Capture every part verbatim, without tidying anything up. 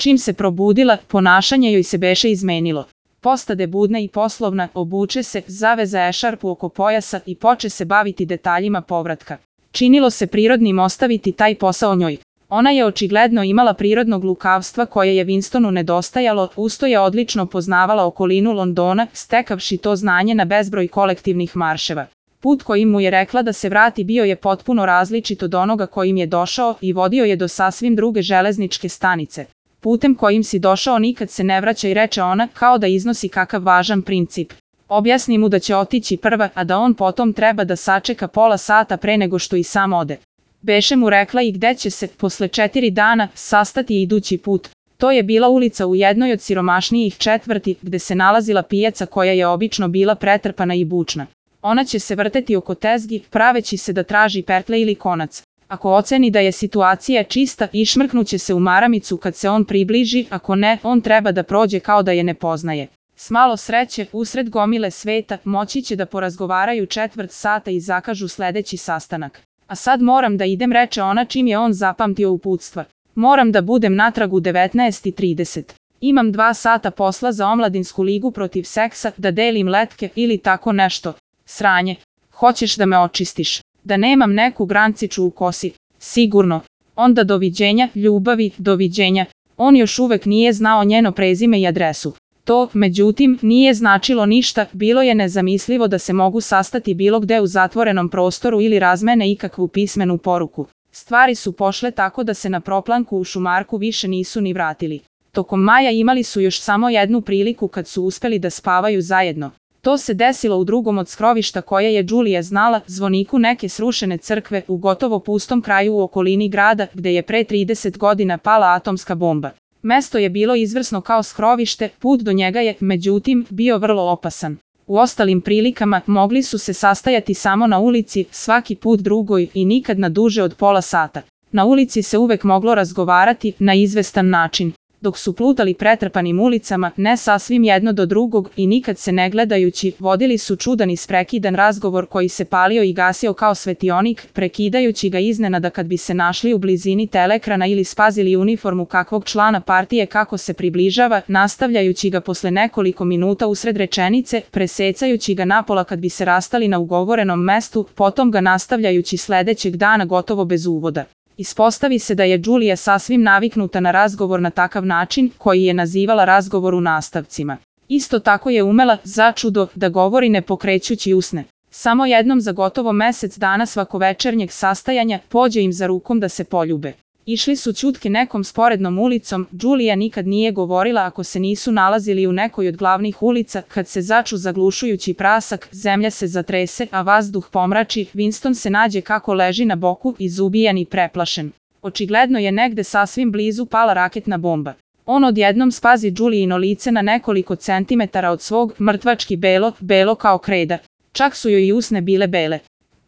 Čim se probudila, ponašanje joj se beše izmenilo. Postade budna i poslovna, obuče se, zaveza ešarpu oko pojasa i poče se baviti detaljima povratka. Činilo se prirodnim ostaviti taj posao njoj. Ona je očigledno imala prirodnog lukavstva koje je Winstonu nedostajalo, usto je odlično poznavala okolinu Londona, stekavši to znanje na bezbroj kolektivnih marševa. Put kojim mu je rekla da se vrati bio je potpuno različit od onoga kojim je došao i vodio je do sasvim druge železničke stanice. Putem kojim si došao nikad se ne vraća, i reče ona, kao da iznosi kakav važan princip. Objasni mu da će otići prva, a da on potom treba da sačeka pola sata pre nego što i sam ode. Beše mu rekla i gde će se, posle četiri dana, sastati idući put. To je bila ulica u jednoj od siromašnijih četvrti, gde se nalazila pijaca koja je obično bila pretrpana i bučna. Ona će se vrteti oko tezgi, praveći se da traži pertle ili konac. Ako oceni da je situacija čista, išmrknuće se u maramicu kad se on približi, ako ne, on treba da prođe kao da je ne poznaje. S malo sreće, usred gomile sveta, moći će da porazgovaraju četvrt sata i zakažu sledeći sastanak. A sad moram da idem, reče ona čim je on zapamtio uputstva. Moram da budem natrag u devetnaest i trideset. Imam dva sata posla za omladinsku ligu protiv seksa, da delim letke ili tako nešto. Sranje. Hoćeš da me očistiš? Da nemam neku granciču u kosi? Sigurno. Onda doviđenja, ljubavi, doviđenja. On još uvek nije znao njeno prezime i adresu. To, međutim, nije značilo ništa, bilo je nezamislivo da se mogu sastati bilo gde u zatvorenom prostoru ili razmene ikakvu pismenu poruku. Stvari su pošle tako da se na proplanku u Šumarku više nisu ni vratili. Tokom maja imali su još samo jednu priliku kad su uspeli da spavaju zajedno. To se desilo u drugom od skrovišta koje je Đulija znala, zvoniku neke srušene crkve u gotovo pustom kraju u okolini grada gde je pre trideset godina pala atomska bomba. Mesto je bilo izvrsno kao skrovište, put do njega je, međutim, bio vrlo opasan. U ostalim prilikama mogli su se sastajati samo na ulici, svaki put drugoj i nikad na duže od pola sata. Na ulici se uvek moglo razgovarati na izvestan način. Dok su plutali pretrpanim ulicama, ne sasvim jedno do drugog i nikad se ne gledajući, vodili su čudan i sprekidan razgovor koji se palio i gasio kao svetionik, prekidajući ga iznenada kad bi se našli u blizini telekrana ili spazili uniformu kakvog člana partije kako se približava, nastavljajući ga posle nekoliko minuta usred rečenice, presecajući ga napola kad bi se rastali na ugovorenom mestu, potom ga nastavljajući sledećeg dana gotovo bez uvoda. Ispostavi se da je Đulija sasvim naviknuta na razgovor na takav način, koji je nazivala razgovor u nastavcima. Isto tako je umela, začudo, da govori ne pokrećući usne. Samo jednom za gotovo mesec dana svakovečernjeg sastajanja pođe im za rukom da se poljube. Išli su ćutke nekom sporednom ulicom, Đulija nikad nije govorila ako se nisu nalazili u nekoj od glavnih ulica, kad se začu zaglušujući prasak, zemlja se zatrese, a vazduh pomrači, Winston se nađe kako leži na boku, izubijan i preplašen. Očigledno je negde sasvim blizu pala raketna bomba. On odjednom spazi Đulijino lice na nekoliko centimetara od svog, mrtvački belo, belo kao kreda. Čak su joj i usne bile bele.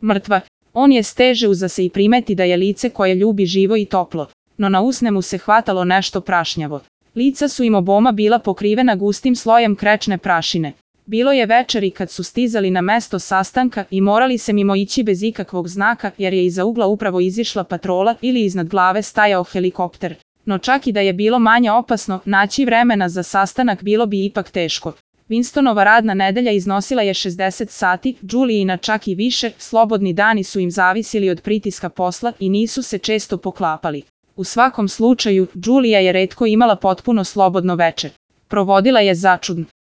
Mrtva. On je steže uza se i primeti da je lice koje ljubi živo i toplo, no na usne mu se hvatalo nešto prašnjavo. Lica su im oboma bila pokrivena gustim slojem krečne prašine. Bilo je večeri kad su stizali na mesto sastanka i morali se mimo ići bez ikakvog znaka jer je iza ugla upravo izišla patrola ili iznad glave stajao helikopter. No čak i da je bilo manje opasno, naći vremena za sastanak bilo bi ipak teško. Winstonova radna nedelja iznosila je šezdeset sati, Đulijina čak i više, slobodni dani su im zavisili od pritiska posla i nisu se često poklapali. U svakom slučaju, Đulija je retko imala potpuno slobodno veče. Provodila je začudno.